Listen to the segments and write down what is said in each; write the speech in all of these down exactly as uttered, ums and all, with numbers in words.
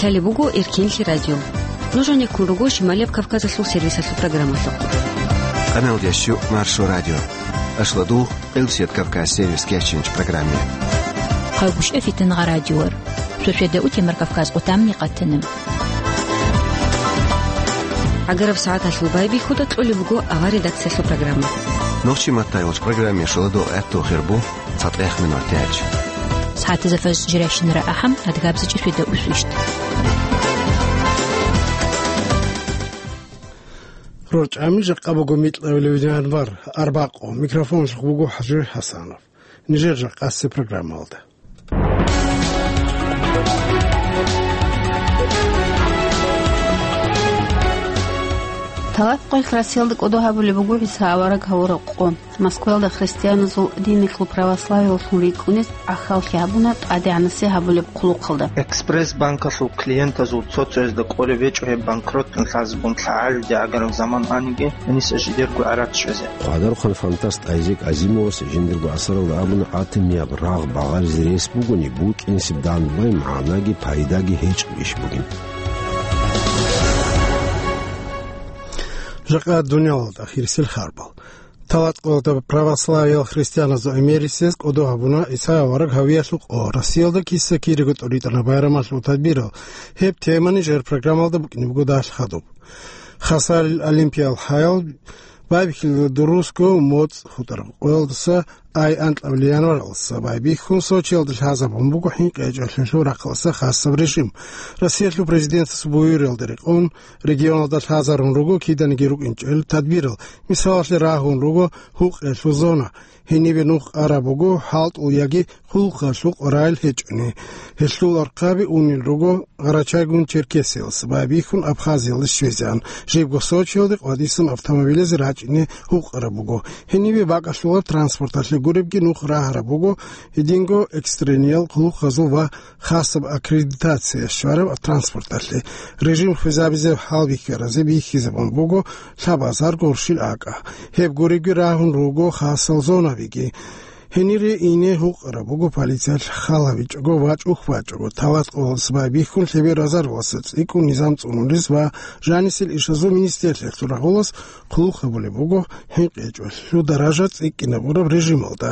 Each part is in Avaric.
Лъалеб буго Эркенлъи радио. Нуж гьанеккун руго Шималияб Кавказалъул сервисалъул программалъухъ. Къамел ящу Маршо радио. Ашладу Элсият Кавказ сервис кечинч программе. Хъагушев Фитнагъа радиор. Сосведа утемар Кавказ къутамни къатанам. Агараб сагӀаталъул байбихьуда кьолеб буго авар редакциялъул программа. Нохчи маттайолч программе шуладо гӀатту хирбу. ЦатӀех минут тяч. СагӀатазда фаз жиращинара ахӀам, адгабза чӀисвида усвищт. РорчӀами жакъа буго микьабилев январ, арбакъо. Микрофонлъухъ буго ХӀажи ХӀасанов. Нижер жакъасе программалда. Талакъалъ Россиялда кӀодо гьабулеб буго ГӀиса авараг гьавураб къо. Москваялда христианазул динилъул православиялъун рикӀкӀунез гӀахьаллъи гьабуна ТӀадегӀанасе гьабулеб хъулухъалда. Экспресс-банкалъул клиентазул цо-цоязда кӀолеб гьечӀо гьеб банкротни лъазабун лъагӀалиде гӀагараб заман аниги, гьениса жидерго гӀарац щвезе. Хъвадархъан фантаст Айзек Азимовас жиндирго асаралда абуна, атомияб рагъ багъаризе рес бугони, букӀинсеб данбай магӀнаги пайдаги гьечӀеб иш бугин. Жакъа дуниялалда хирисел харбал. Талакъалда православиял христианазул гӀемерисез кӀодо гьабуна ГӀиса авараг гьавиялъул къо. Россиялда киса-кириго тӀуритӀана байрамалъул тадбирал. Гьеб темани жер программалда букӀине буго далъ хадуб. Хасалил олимпиял хӀаял байбихьилда дурусго моцӀ хутӀараб къоялдаса ай анкьабилеб январалдаса байбихьун Сочиялда лъазабун буго хӀинкъи гьечӀолъиялъул рахъалдаса хасаб режим. Россиялъул президентас буюралда рекъон, регионалда лъазарун руго киданиги рукӀинчӀел тадбирал, мисалалъе, рагьун руго гьукъиялъул зона, гьенибе нух араб буго хӀалтӀул яги хъулухъалъул къорайил гьечӀони. Гьелъул архъаби унел руго Къарачайгун-Черкесиялдаса байбихьун Абхазиялде щвезегӀан, жибго Сочиялде къватӀисан автомобилазе рачӀине гьукъараб буго. Гьенибе бакӀалъулаб транспорталъе гуребги нух рагьараб буго, гьединго экстрениял хъулухъазул ва хасаб аккредитация щвараб транспорталъе. Режим хвезабизе гьалбихьаразе бихьизабун буго лъабазар горщил акӀа. Гьеб гуребги рагьун руго хасал зонабиги. Гьенире ине гьукъараб буго полициялъ хал гьабичӀого ва чӀухь бачӀого, талат къоялдаса байбихьун лъебе разаруласа цӀикӀкӀун низам цӀунулез ва жанисел ишазул министрлъиялъул рагъулас хъулухъ гьабулеб буго хӀинкъи гьечӀолъиялъул даража цӀикӀкӀинабураб режималда.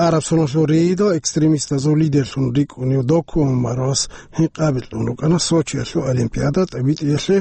Араб соналъул рейдал экстремистазул лидерлъун рикӀкӀунев Доку Умаровас гьинкъаби кьун рукӀана Сочиялъул олимпиада тӀибитӀиялъе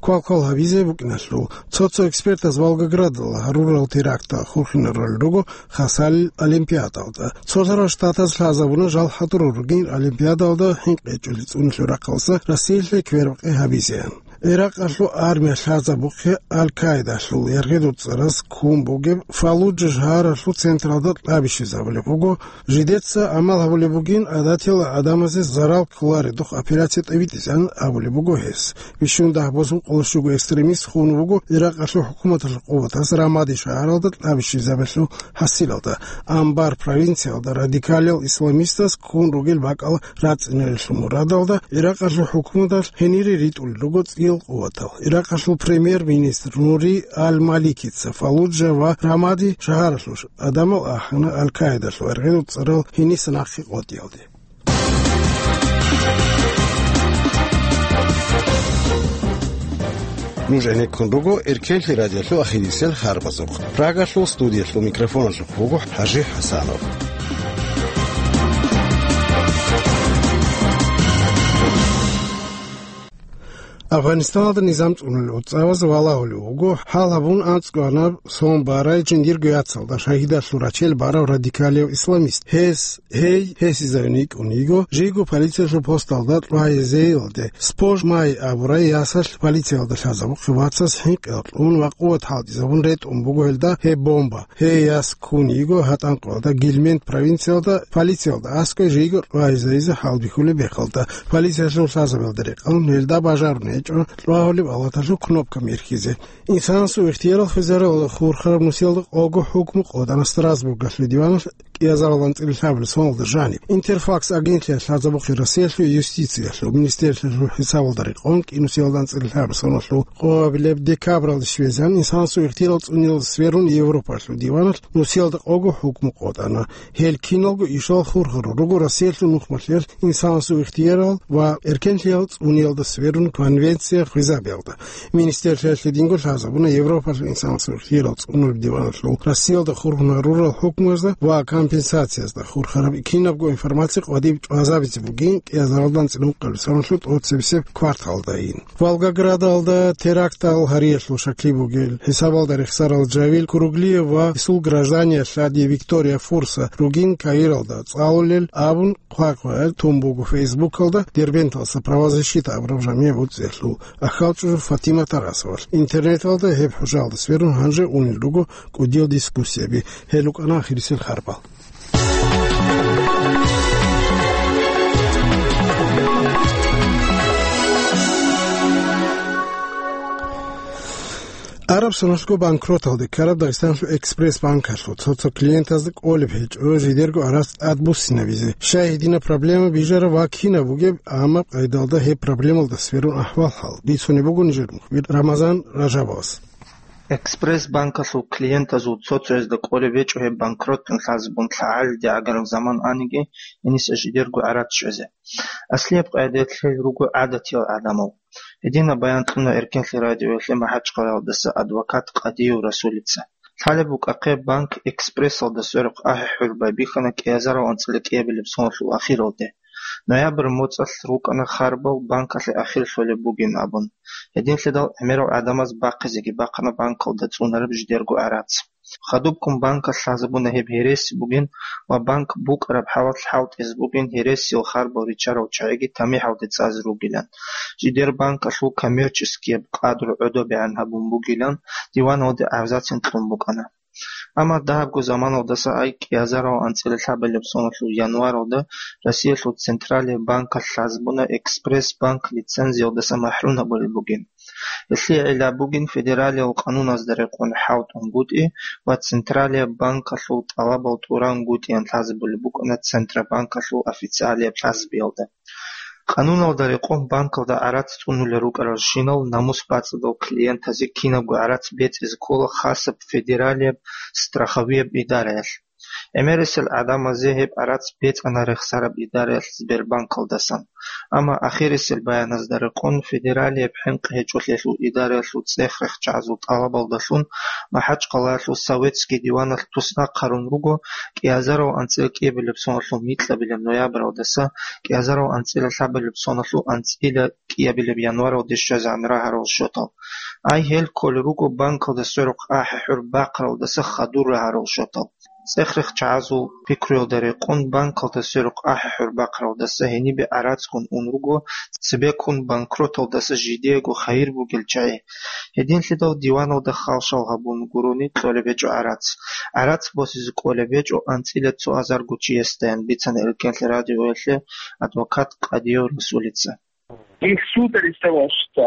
квалквал гьабизе букӀиналъул. Цо-цо экспертаз Волгоградалда гьарурал терактал хурхинарулел руго Хасал олимпиадалда. Цолъарал Штатаз лъазабуна жал хӀадурал ругин олимпиадалда хӀинкъи гьечӀолъи цӀунулъул рахъалдаса Россиялъе квербакъи гьабизеян. Иракъалъул армия лъазабухъе Аль-Каидалъул яргъидул цӀараз ккун бугеб Фаллуджа шагьаралъул централда кьаби щвезабулеб буго. Жидеца гӀамал гьабулеб бугин, гӀадатиял гӀадамазе зарал кколаредухъ операция тӀибитӀизан абулеб буго гьес. Бищун дагь босун къоло щуго экстремист хун вуго Иракъалъул хӀукуматалъул къуватаз Рамади шагьаралда кьаби щвезабиялъул хӀасилалда. Амбар провинциялда радикалиял исламистаз ккун ругел бакӀал рацӀцӀинарелъул мурадалда Иракъалъул хӀукуматалъ гьенире ритӀулел руго цӀиял къуватал. Иракъалъул премьер-министр Нури Аль-Маликица Фаллуджа ва Рамади шагьаралъул гӀадамал ахӀана Аль-Каидалъул яргъидул цӀарал гьениса нахъе къотӀиялде. Нуж гӀенеккун руго Эркенлъи радиолъул ахирисел харбазухъ. Прагалъул студиялъул микрофоналъухъ вуго ХӀажи ХӀасанов. Афганистаналда низам цӀунулел уцӀаваз валагьулев вуго, хӀал гьабун анцӀго анаб сон барай жиндирго яцалда шагьидалъул рачел барав радикалияв исламист. Гьес, гьей, гьесизавин йикӀун йиго, жийго полициялъул посталда ТӀвайзейилде, Спож Май абурай ясалъ полициялда лъазабухъе вацас хӀинкъи кьун ва къуват хӀалтӀизабун ретӀун буго гьелда гьеб бомба. Гьей яс ккун йиго гьатӀанкъоялда Гильмент провинциялда полициялда аскӀой жийго ТӀвайзейизе хӀалбихьулеб мехалда. Полициялъул лъазабиялда рекъон гьелда бажаруна гьечӀо, лъугьа гьабулеб алаталъул кнопка мерхизе. Инсанасул ихтиярал хвезаралда хурхараб нусиялда къого хӀукму къотӀана Страсбургалъул диваналъ кӀиазарал анцӀила лъабабилеб соналда жаниб. Интерфакс агентлъиялъ лъазабухъе Россиялъул юстициялъул министерствалъул хӀисабалда рекъон кӀинусиялда анцӀила лъабабилеб соналъул къоабилеб декабралде щвезегӀан инсанасул ихтиярал цӀуниялда сверун Европалъул диваналъ нусиялда къого хӀукму къотӀана. Гьел киналго ишал хурхарал руго Россиялъул нухмалъиялъ инсанасул ихтиярал ва эркенлъиялда цӀуниялда сверун конвенция хвезабиялда. Министерствалъе динго лъазабуна Европалъул инсанасул ихтиярал цӀунулеб диваналъул Россиялда хурхун гьарурал хӀукмуязда ва компенсациязда хурхараб кинабго информация къватӀиб чӀвазабизе бугин кӀиазаралда анцӀила ункъабилеб соналъул тӀоцебесеб кварталдайин. Волгоградалда терактал гьариялъул щаклъи бугел хӀисабалда рехсарал Жавил Куруглиев ва гьесул граждане лъади Виктория Фурса ругин Каиралда цӀалулел абун хъвакъвай тун буго Фейсбукалда Дербенталъа правозащита абураб жамигӀ буцӀцӀиялъул ахьалчӀужу Фатима Тарасовалъ. Интернеталда гьеб хӀужалда сверун гьанже унел руго кӀудиял дискуссияби. Гьел рукӀана ахирисел харбал. Араб соналъго банкроталде ккараб Дагъистаналъул Экспресс банкалъул цо-цо клиентазда кӀолеб гьечӀо жидерго гӀарац тӀадбуссинабизе. Щай гьединаб проблема бижараб ва кинаб бугеб, амма къайдалда гьеб проблемалда сверун ахӀвал-хӀал бицунеб буго нижер мухбир Рамазан Ражабовас. Экспресс банкалъул клиентазул цо-цоязда кӀолеб гьечӀо гьеб банкротун лъазабун лъагӀалиде гӀагараб заман аниги, гьениса жидерго гӀарац щвезе. Аслияб къайдаялъ гьел руго гӀадатиял гӀадамал. Гьединаб баян кьуна Эркенлъи радиоялъе МахӀачхъалаялдаса адвокат Къадиев Расулица. Лъалеб букӀахъе банк Экспрессалда сверухъ ахӀи-хӀур байбихьана кӀиазарал анцӀила кӀиабилеб соналъул ахиралде. Ноябрь моцӀалъ рукӀана харбал банкалъе ахир лъолеб бугин абун. Гьединлъидал гӀемерал гӀадамаз бахъизеги бахъана банкалда цӀунараб жидерго гӀарац. Хадубккун банкалъ лъазабуна гьеб гьереси бугин ва банк букӀараб хӀалалъ хӀалтӀизе бугин гьересиял харбал риччарал чагӀиги тамихӀалде цӀазе ругилан. Жидер банкалъул коммерческияб къадру гӀодобегӀан гьабун бугилан диваналде гӀавзацин кьун букӀана. Амма дагьабго заманалдаса ай кӀиазарал анцӀила лъабабилеб соналъул январалда Россиялъул Централияб банкалъ лъазабуна Экспресс банк лицензиялдаса махӀрум гьабулеб бугин. Гьелъие гӀилла бугин федералиял къануназда рекъон хӀалтӀунгутӀи ва Централияб банкалъул тӀалабал тӀураннгутӀиян лъазабулеб букӀана Центробанкалъул официалияб лъазабиялда. Къануналда рекъон банкалда гӀарац цӀунулел рукӀаралщинал намус бацӀцӀадал клиентазе кинабго гӀарац бецӀизе ккола хасаб федералияб страховияб идараялъ. ГӀемерисел гӀадамазе гьеб гӀарац бецӀана рехсараб идараялъ Сбербанкалдасан. Амма ахирисел баяназда рекъон федералияб хӀинкъи гьечӀолъиялъул идараялъул цӀех-рехчагӀазул тӀалабалдалъун МахӀачхъалаялъул Советский диваналъ туснахъ гьарун руго кӀиазарал анцӀила кӀиабилеб соналъул микьабилеб ноябралдаса кӀиазарал анцӀила лъабабилеб соналъул анцӀила кӀиабилеб январалде щвезегӀан рагьарал счетал. Ай гьел кколел руго банкалда сверухъ ахӀи-хӀур бахъаралдаса хадур рагьарал счетал. ЦӀех-рехчагӀазул пикруялда рекъон банкалда сверухъ ахӀи-хӀур бахъаралдаса гьенибе гӀарацгун ун руго цебеккун банкроталдаса жидеего хайир бугел чагӀи. Гьединлъидал диваналда халшал гьабун гурони кьолеб гьечӀо гӀарац. ГӀарац босизе кӀолеб гьечӀо анцӀила цо азарго чиясдаян, бицана Эркенлъи радиоялъе адвокат Къадиев Расулица. Их суд арестовал, что,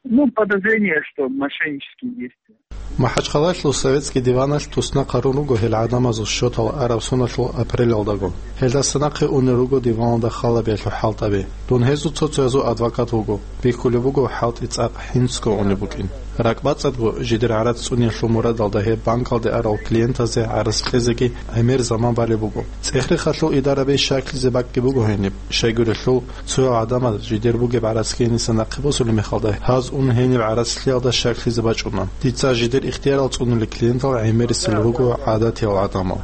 ну, подозрение, что мошеннические действия. МахӀачхъалаялъул Советский диваналъ туснахъ гьарун руго гьел гӀадамазул счетал араб соналъул апрелалдаго. Гьелдаса нахъе унел руго диваналда халабиялъул хӀалтӀаби. Дун гьезул цо-цоязул адвокат вуго. Бихьулеб буго хӀалтӀи цӀакъ хӀинцго унеб букӀин. РакӀбацӀцӀадго жидер гӀарац цӀуниялъул мурадалда гьеб банкалде арал клиентазе гӀарац кьезеги гӀемер заман балеб буго. ЦӀех-рехалъул идараби щаклъизе бакӀги буго гьениб, щайгурелъул цоял гӀадамаз жидер бугеб гӀарац гьениса нахъе босулеб мехалда гьаз ун гьениб гӀарац лъиялда щаклъизе бачӀуна. Дица жидер ихтиярал цӀунулел клиентал гӀемерисел руго гӀадатиял гӀадамал.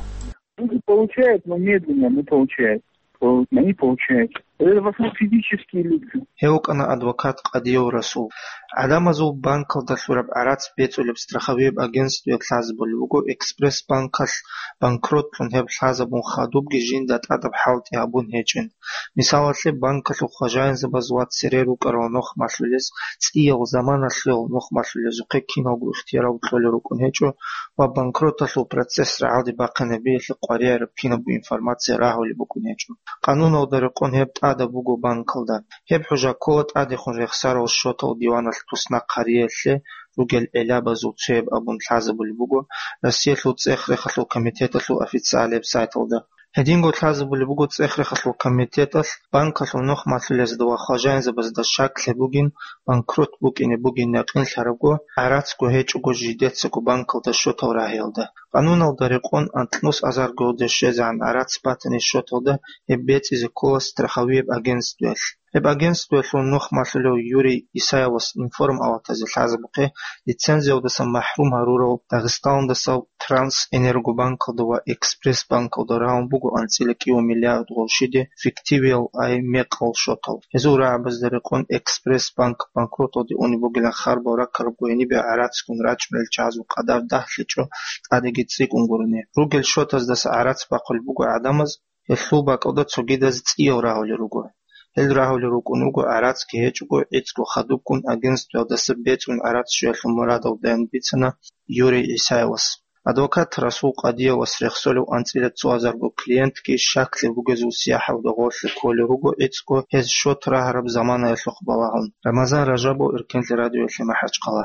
Люди получают, но медленно, но получают. Пол-, они получают. Это в основном физические лица. Гьев вукӀана адвокат Къадиев Расул. ГӀадамазул банкалда лъураб гӀарац бецӀулеб страховияб агентствоялъ лъазабулеб буго, Экспресс-банкалъ банкротлъун гьеб лъазабун хадубги жинда тӀадаб хӀалтӀи гьабун гьечӀин. Мисалалъе, банкалъул хважаинзабаз ва цере рукӀарал нухмалъулез, цӀиял заманалъул нухмалъулезухъе киналго ихтиярал кьолел рукӀун гьечӀо ва банкроталъул процесс рагӀалде бахъинабиялъе къваригӀараб кинабго информация рагьулеб букӀун гьечӀо. Къануналда рекъон гьеб тӀадаб буго банкалда. Гьеб хӀужа ккола тӀадехун рехсарал счетал диваналъ туснахъ гьариялъе ругел гӀелабазул цояб абун лъазабулеб буго Россиялъул цӀех-рехалъул комитеталъул официалияб сайталда. Гьединго лъазабулеб буго цӀех-рехалъул комитеталъ банкалъул нухмалъулезда ва хважаинзабазда щаклъи бугин, банкрот букӀине бугин якъинлъарабго, гӀарацго гьечӀого жидецаго банкалда счетал рагьиялда. Къануналда рекъон анкьнус азарго гьудеш щвезегӀан гӀарац батани счеталда гьеб бецӀизе ккола страховияб агентствоялъ. Гьеб агентствоялъул нухмалъулев Юрий Исаевас информ-аватазе лъазабухъе лицензиялдаса махӀрум гьарурал Дагъистаналдаса Трансэнергобанкалда ва Экспресс-банкалда рагьун буго анцӀила кӀиго миллиард гъурщиде фиктивиял, ай мекъал счетал. Гьезул рагӀабазда рекъон Экспресс-банк банкроталде унеб бугилан харбал раккарабго гьенибе гӀарацгун рачӀунел чагӀазул къадар дагьлъичӀо, тӀадеги цӀикӀкӀун гурони. Ругел счетаздаса гӀарац бахъулеб буго гӀадамаз, гьелъул бакӀалда цогидаз цӀиял рагьулел руго. Гьел рагьулел рукӀун руго гӀарацги гьечӀого, гӀицӀго хадубкӀун агентствоялдаса бецӀун гӀарац щвеялъул мурадалдайин бицана Юрий Исаевас. Адвокат Расул Къадиевас рехсолев анцӀила цо азарго клиентги щаклъи бугезул сияхӀалда гъорлъе кколел руго гӀицӀго гьез счет рагьараб заманаялъухъ балагьун. Рамазан Ражабов, Эркенлъи радиоялъе, МахӀачхъала.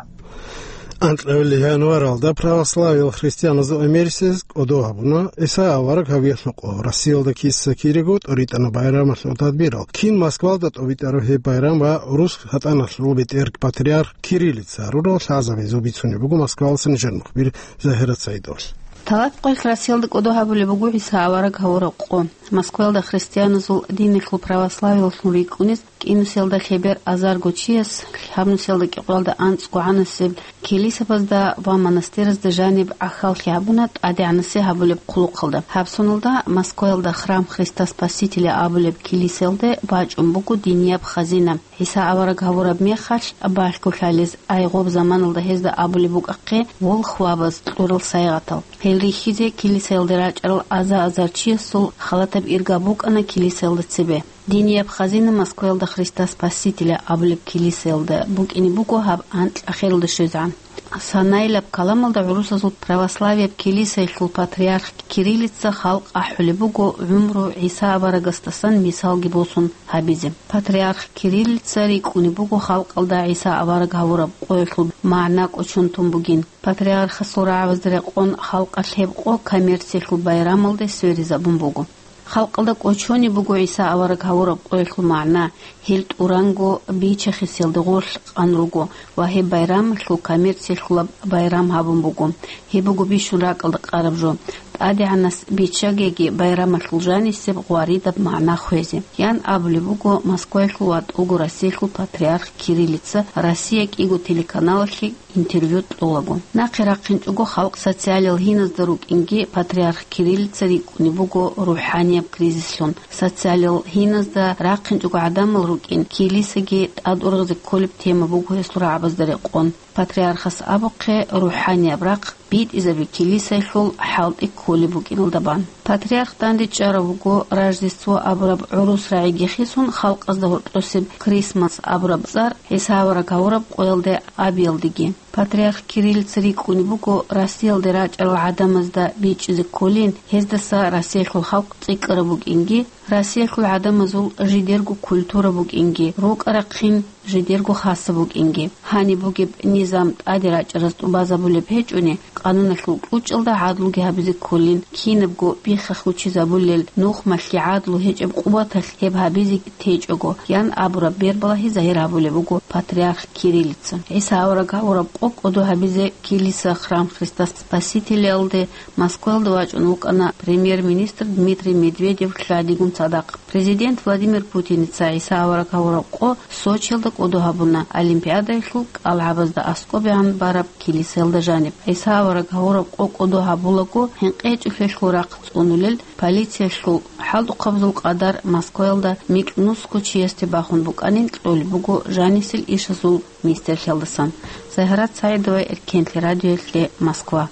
Анкьабилеб январалда православиял христианазул Америкаялъ кӀодо гьабуна ГӀиса авараг гьавиялъ нукъо. Россиялда киса-кириго тӀоритӀана байрамалъул тадбирал. Кин Москвалда тӀобитӀараб гьеб байрам ва гӀурус гьатӀаналъул бетӀер патриарх Кириллица гьарурал лъазабазул бицунеб буго Москвалъуса нижер мухбир Загьират Саидовалъ. Талат къоялъ Россиялда кӀодо гьабулеб буго ГӀиса авараг гьавураб къо. Москваялда христианазул диналъул православиялъун рикӀкӀунез кӀинусиялда лъебер азарго чияс, гьабнусиялда кӀикъоялда анцӀго гӀанасеб килисабазда ва монастыразда жаниб гӀахьаллъи гьабуна ТӀадегӀанасе гьабулеб хъулухъалда. Гьаб соналда Москваялда храм Христа Спасителя абулеб килисаялде бачӀун буго динияб хазина. ГӀиса авараг гьавураб мехалъ балъголъалез, ай гъоб заманалда гьезда абулеб букӀахъе волхвабаз кьурал сайгъатал. Гьел рихьизе килисаялде рачӀарал аза-азар чиясул халатаб ирга букӀана килисаялда цебе. Динияб хазина Москваялда Христа Спасителя абулеб килисаялда букӀине буго гьаб анкьа хералда щвезегӀан. Санаилаб каламалда гӀурусазул православияб килисаялъул патриарх Кириллица халкъ ахӀулеб буго гӀумру ГӀиса аварагасдасан мисалги босун гьабизе. Патриарх Кириллица рикӀкӀунеб буго халкъалда ГӀиса авараг гьавураб къоялъул магӀна кӀочон тун бугин. Патриархасул рагӀабазда рекъон халкъалъ гьеб къо коммерциялъул байрамалде сверизабун буго. Халкъалда кӀочонеб буго ГӀиса авараг гьавураб къоялъул магӀна, гьел тӀуранго бича-хисиялда гъорлъ къан руго ва гьеб байрамалъул коммерциялъулаб байрам гьабун буго. Гьеб буго бищун ракӀалда къараб жо. ТӀадегӀанас биччагеги байрамалъул жанисеб гъваридаб магӀна хвезе, ян абулеб буго Москваялъул ва тӀуго Россиялъул патриарх Кириллица «Россия» кӀиго телеканалалъе интервью кьолаго. Нахъе рахъинчӀого халкъ социалиял гьиназда рукӀинги патриарх Кириллица рикӀкӀунеб буго рухӀанияб кризислъун. Социалиял гьиназда рахъинчӀого гӀадамал рукӀин, килисаги тӀадургъизе кколеб тема буго гьесул рагӀабазда рекъон. Патриархас абухъе, рухӀанияб рахъ битӀизаби килисаялъул хӀалтӀи кколеб букӀиналда бан. Патриарх дандечӀарав вуго Рождество абураб гӀурус рагӀиги хисун, халкъазда гьоркьосеб Крисмас абураб цӀар ГӀиса авараг гьавураб къоялде абиялдеги. Патриарх Кириллица рикӀкӀунеб буго Россиялде рачӀарал гӀадамазда бичӀчӀизе кколин, гьездаса Россиялъул халкъ цӀикӀкӀараб букӀинги, Россиялъул гӀадамазул жидерго культура букӀинги, рукӀа-рахъин жидерго хасаб букӀинги. Гьаниб бугеб низам тӀаде рачӀараз тӀубазабулеб гьечӀони, къануналъул кьучӀалда гӀадлуги гьабизе кколин, кинабго биххахъ учизабулел нухмалъги гӀадлу гьечӀеб къуваталъ гьеб гьабизе течӀого, ян абураб бербалагьи загьир гьабулеб буго патриарх Кириллица. ГӀиса авараг гьавураб къо кӀодо гьабизе килиса храм Христа Спасителялде Москваялда вачӀун вукӀана премьер-министр Дмитрий Медведев лъадигун цадахъ. Президент Владимир Путиница ГӀиса авараг гьавураб къо Сочиялда кӀодо гьабуна, Олимпиадаялъул кӀалгӀабазда аскӀобегӀан бараб килисаялда жаниб. ГӀиса авараг гьавураб къо кӀодо гьабулаго, гьинкъи гьечӀолъиялъул рахъ цӀунулел, полициялъул хӀалтӀухъабазул къадар Москваялда микьнусго чиясде бахун букӀанин кьолеб буго жанисел ишазул министрлъиялдасан. Загьрат СагӀидова, Эркенлъи радиоялъе, Москва.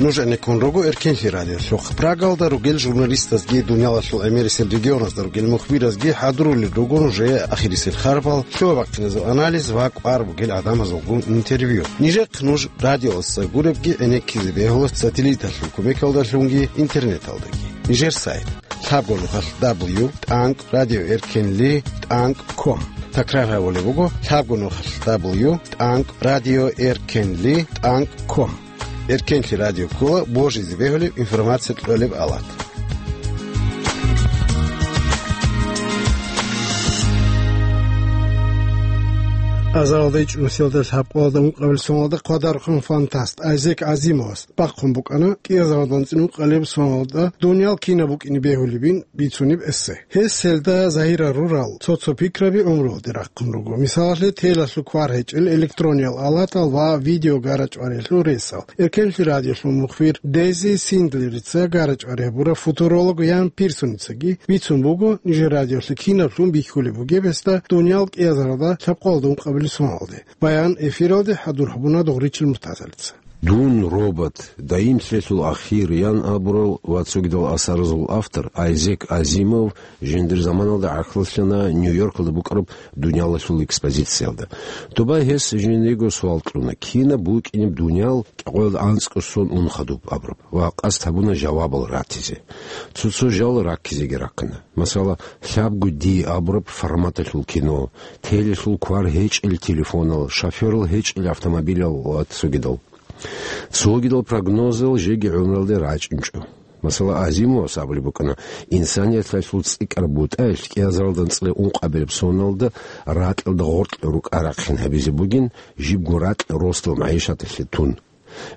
Нуж гӀенеккун руго Эркенлъи радиолъухъ. Прагалда ругел журналистазги, дуниялалъул гӀемерисел регионазда ругел мухбиразги хӀадурулел руго нужее ахирисел харбал, лъугьа-бахъиназул анализ ва кӀвар бугел гӀадамазулгун интервью. Нижехъ нуж радиоялдаса гуребги гӀенеккизе бегьула сателлиталъул кумекалдалъунги интернеталдаги. Нижер сайт: лъабго нухалъ дабл ю тӀанкӀ радио эркенли тӀанкӀ ком. Такрар гьабулеб буго: лъабго нухалъ дабл ю тӀанкӀ радио эркенли тӀанкӀ ком. Эркенлъи радио ккола божизе бегьулеб информация кьолеб алат. Азаралда ичӀнусиялда лъабкъоялда ункъабил соналда хъвадарухъан фантаст Айзек Азимовас бахъун букӀана кӀиазаралда анцӀила ункъабилеб соналда дуниял кина букӀине бегьулебин бицунеб эссе. Гьес гьелда загьирал рурал цо-цо пикраби гӀумруялде рахъун руго. Мисалалъе, телалъул квар гьечӀел электрониял алатал ва видео гарачӀварелъул ресал. Эркенлъи радиолъул мухбир Дези Синдлерица гарачӀвари гьабураб футуролог Ян Пирсоницаги бицун буго, нижер радиолъе кинаблъун бихьулеб бугеб гьесда дуниял кӀиазаралда лъабкъоялда ункъабилеб соналде. Баян эфиралде хӀадур гьабуна Догъричил Муртазалица. «Дун, робот, даимлъиялъул ахир» ян абурал ва цогидал асаразул автор Айзек Азимов жиндир заманалда гӀахьаллъана Нью-Йоркалда букӀараб дуниялалъул экспозициялда. Доба гьес жиндиего суал кьуна: кинаб букӀинеб дуниял кӀикъоялда анцӀго сон ун хадуб абураб, ва къасд гьабуна жавабал ратизе. Цо-цо жал раккизеги рахъана. Масала, лъабго ди абураб форматалъул кино, телелъул квар гьечӀел телефонал, шофёрал гьечӀел автомобилял ва цогидал. Цогидал прогнозал жеги гӀумруялде рачӀунчӀо. Масала, Азимовас абулеб букӀана, инсанияталъул цӀикӀкӀараб бутӀаялъ кӀиазаралда анцӀила ункъабилеб соналда ракьалда гъоркье рукӀа рахъин гьабизе бугин, жибго ракь росдал магӀишаталъе тун.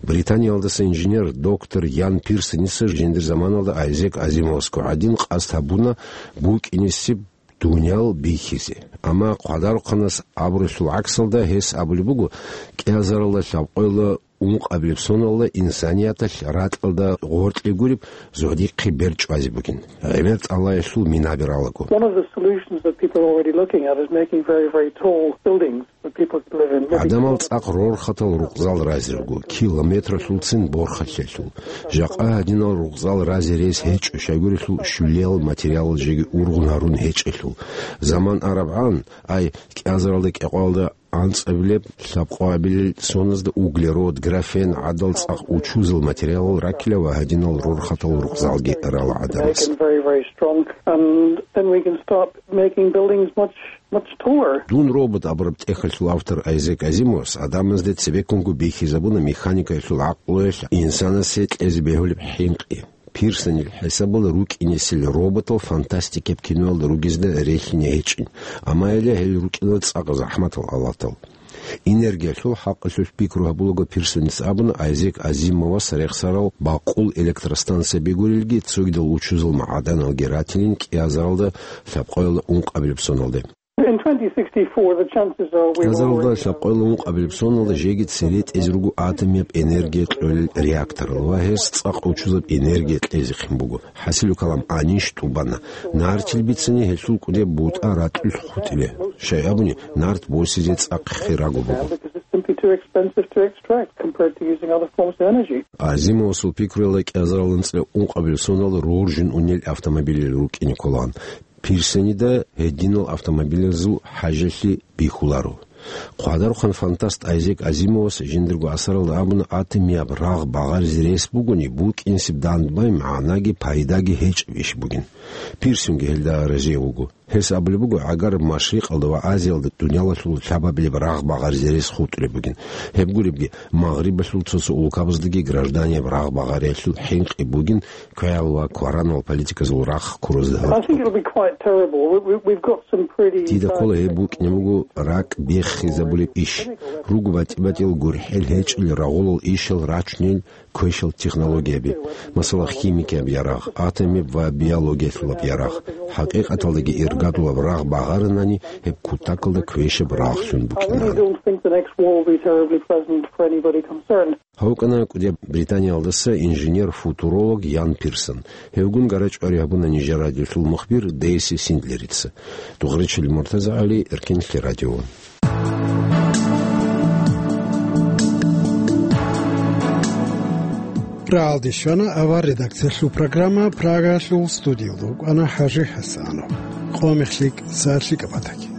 Британиялдаса инженер, доктор Ян Пирсоница жиндир заманалда Айзек Азимовасго гӀадин къасд гьабуна букӀинесеб дуниял бихьизе. Амма хъвадарухъанас абуралъул гӀаксалда гьес абулеб буго, кӀиазаралда лъабкъоялда ункъабилеб соналда инсанияталъ ракьалда гъоркье гуреб зугьдихъе бер чӀвазе бугин, гӀемер тӀалаялъул мина бералаго. One of the solutions that people are already looking at is making very, very tall buildings that people could live in. ГӀадамал цӀакъ рорхатал рукъзал разирго, километралъулцин борхалъелъул. Жакъа гьадинал рукъзал разе рес гьечӀо, щайгурелъул щулиял материалал жеги ургъун гьарун гьечӀелъул. Заман арабгӀан, ай, кӀиазаралда кӀикъоялда анцӀабилеб, лъабкъоабилел соназда углерод, графен гӀадал цӀакъ учузал материалал раккила ва гьадинал рорхатал рукъзалги рала гӀадамаз. Make them very, very strong, and then we can start making buildings much, much taller. «Дун, робот» абураб тӀехьалъул автор Айзек Азимовас гӀадамазде цебеккунго бихьизабуна механикаялъул гӀакълуялъ инсанасе кьезе бегьулеб хӀинкъи. Пирсонил хӀисабалда рукӀинесел роботал фантастикаб киноялда ругезда релълъине гьечӀин, амма гьеле гьел рукӀина цӀакъ захӀматал алатал. Энергиялъул хӀакъалъулъ пикру гьабулаго, Пирсоница абуна, Айзек Азимовас рехсарал бакъул электростанцияби гурелги, цогидал учузал магӀаданалги ратилин кӀиазаралда лъабкъоялда ункъабилеб соналде. In twenty sixty-four, the chances are we will... КӀиазаралда лъабкъоялда ункъабилеб соналда жеги цере тӀезе руго атомияб энергия кьолел реакторал ва гьес цӀакъ учузаб энергия кьезехъин буго. ХӀасилу калам, гӀанищ тӀубана. Нартил бицани гьелъул кӀудеб бутӀа ракьулъ хутӀила. Щай абуни, нарт босизе цӀакъ хирагу буго. Because it's simply too expensive to extract compared to using other forms of energy. Азимовасул пикруялда кӀиазарал анцӀила ункъабилеб сонал роржун унел автомобилил рукӀине кколаан. Пирсонида гьединал автомобилазул хӀажалъи бихьуларо. Хъвадарухъан фантаст Айзек Азимовас жиндирго асаралда абуна, атомияб рагъ багъаризе рес бугони, букӀинсеб дандбай магӀнаги пайдаги гьечӀеб иш бугин. Пирсонги гьелда разияб вуго. Гьес абулеб буго, гӀагараб Машрикъалда ва Азиялда дуниялалъул лъабабилеб рагъ багъаризе рес хутӀулеб бугин. Гьеб гуребги, Магърибалъул цо-цо улкабаздаги гражданияб рагъ багъариялъул хӀинкъи бугин, квегӀал ва кваранал политиказул рахъ ккурузда гьоркьоб. I think it'll be quite terrible. We, we, we've got some pretty Дида ккола гьеб bad букӀине буго ракӀ беххизабулеб иш. Руго батӀи-батӀиял гурхӀел гьечӀел рагъулал ишал рачунел квешал технологияби, масала, химикияб ярагъ, атомияб ва биологиялъулаб ярагъ. ХӀакъикъаталдаги иргадулаб рагъ багъаранани, гьеб кутакалда квешаб рагълъун I really букӀинаран. Don't think the next war will be terribly pleasant for anybody concerned. Гьав вукӀана КӀудияб Британиялдаса инженер-футуролог Ян Пирсон. Гьевгун гарачӀвари гьабуна нижер радиолъул мухбир Дейси Синдлерица. Дугъричили Муртаза ГӀали, Эркенлъи радио. Рагьалде щвана авар редакциялъул программа, Прагалъул студиялда вукӀана ХӀажи ХӀасанов. Къо мехлъи, сагӀат лъикӀаб батаги.